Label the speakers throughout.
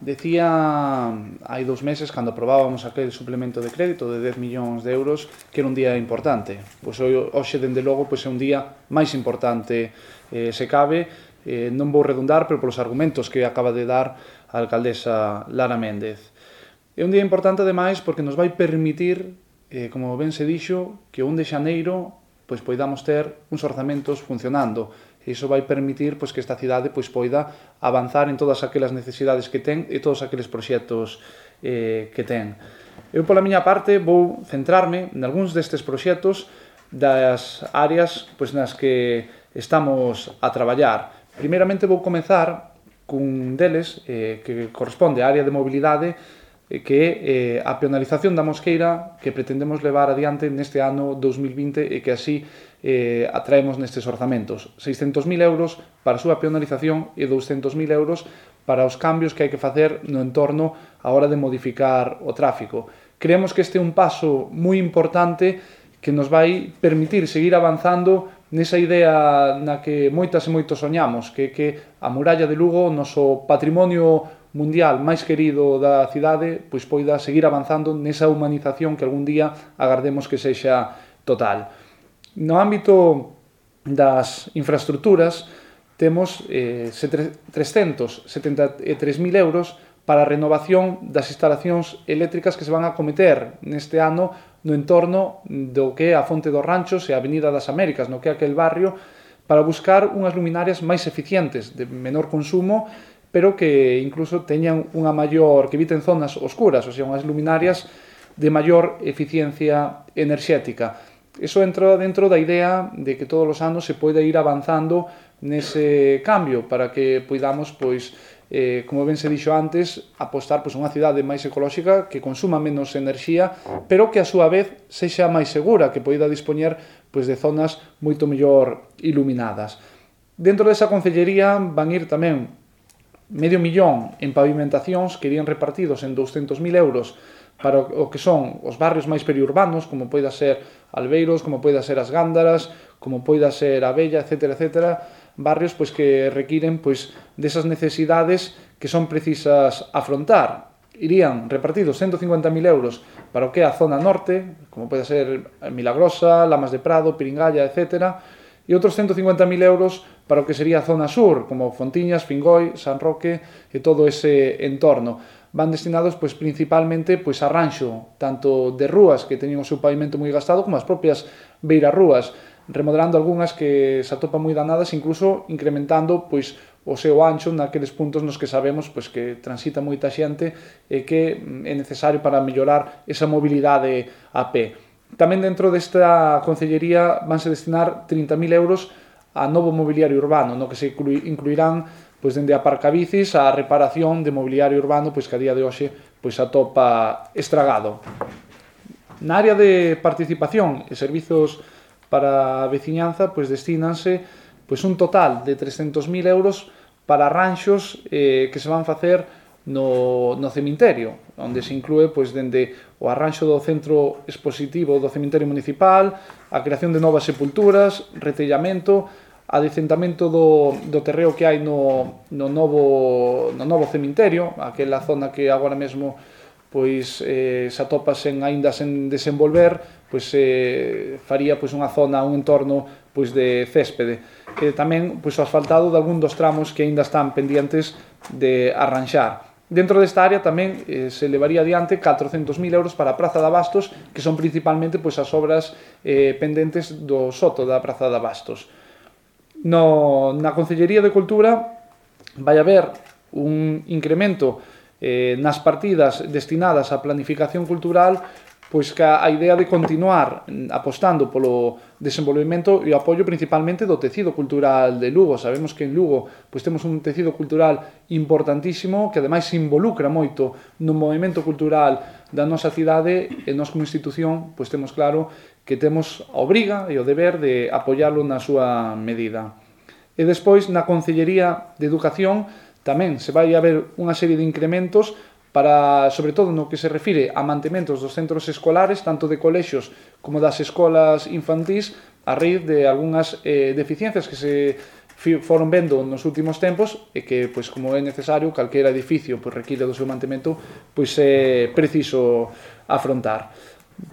Speaker 1: decía hai 2 meses, cando aprobábamos aquel suplemento de crédito de 10 millóns de euros, que era un día importante. Pois hoxe, dende logo, é un día máis importante, se cabe. Non vou redundar, pero polos argumentos que acaba de dar a alcaldesa Lara Méndez. É un día importante, ademais, porque nos vai permitir, como ben se dixo, que o 1 de xaneiro poidamos ter uns orzamentos funcionando. Iso vai permitir que esta cidade poida avanzar en todas aquelas necesidades que ten e todos aqueles proxectos que ten. Eu, pola miña parte, vou centrarme en algúns destes proxectos das áreas nas que estamos a traballar. Primeiramente vou comezar cun deles que corresponde á área de mobilidade, que é a peonalización da Mosqueira que pretendemos levar adiante neste ano 2020 e que así atraemos nestes orzamentos. 600.000 euros para a súa peonalización e 200.000 euros para os cambios que hai que facer no entorno a hora de modificar o tráfico. Creemos que este é un paso moi importante que nos vai permitir seguir avanzando nesa idea na que moitas e moitos soñamos, que a muralla de Lugo, o noso patrimonio mundial máis querido da cidade, poida seguir avanzando nesa humanización que algún día agardemos que sexa total. No ámbito das infraestructuras, temos 373.000 euros para a renovación das instalacións eléctricas que se van a acometer neste ano no entorno do que é a Fonte dos Ranchos e a Avenida das Américas, no que é aquel barrio, para buscar unhas luminarias máis eficientes, de menor consumo, pero que incluso teñan unha maior, que eviten zonas oscuras, ou sea, unhas luminarias de maior eficiencia enerxética. Iso entra dentro da idea de que todos os anos se poida ir avanzando nese cambio para que poidamos, como ben se dixo antes, apostar unha cidade máis ecolóxica, que consuma menos enerxía, pero que a súa vez sexa máis segura, que poida dispoñer de zonas moito mellor iluminadas. Dentro desa concellería van ir tamén 500.000 en pavimentacións que irían repartidos en 200.000 euros para o que son os barrios máis periurbanos, como poida ser Albeiros, como poida ser As Gándaras, como poida ser a Bella, etc. Barrios que requiren desas necesidades que son precisas afrontar. Irían repartidos 150.000 euros para o que é a zona norte, como poida ser Milagrosa, Lamas de Prado, Piringalla, etc. E outros 150.000 euros para o que sería a zona sur, como Fontiñas, Fingoi, San Roque e todo ese entorno. Van destinados principalmente a ranxo, tanto de rúas que teñen o seu pavimento moi gastado, como as propias beirarrúas, remodelando algunhas que se atopan moi danadas, incluso incrementando o seu ancho naqueles puntos nos que sabemos que transita moita xente e que é necesario para mellorar esa mobilidade a pé. Tamén dentro desta concellería vanse destinar 30.000 euros a novo mobiliario urbano, no que se incluirán dende aparcabicis a reparación de mobiliario urbano que a día de hoxe atopa estragado. Na área de participación e servizos para a veciñanza destínanse un total de 300.000 euros para ranxos que se van facer no cemiterio, onde se inclúe dende o arranxo do centro expositivo do cemiterio municipal, a creación de novas sepulturas, retellamento, adecentamento do terreo que hai no novo cemiterio, aquela zona que agora mesmo se atopa aínda sen desenvolver, faría unha zona, un entorno de céspede. E tamén o asfaltado de algún dos tramos que aínda están pendientes de arranxar. Dentro desta área tamén se levaría adiante 400.000 euros para a Praza de Abastos, que son principalmente as obras pendentes do soto da Praza de Abastos. Na Concellería de Cultura vai haber un incremento nas partidas destinadas á planificación cultural, que a idea de continuar apostando polo desenvolvemento e o apoio principalmente do tecido cultural de Lugo. Sabemos que en Lugo temos un tecido cultural importantísimo que ademais se involucra moito no movimento cultural da nosa cidade e nós como institución temos claro que temos a obriga e o deber de apoiarlo na súa medida. E despois na Concellería de Educación tamén se vai haber unha serie de incrementos para, sobre todo no que se refire a mantementos dos centros escolares, tanto de colexios como das escolas infantís, a raíz de algunhas deficiencias que se foron vendo nos últimos tempos e que, pois, como é necesario, calquera edificio pois, require do seu mantemento, pois é preciso afrontar.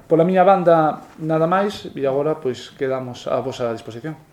Speaker 1: Pola miña banda, nada máis, e agora pois, quedamos a vosa disposición.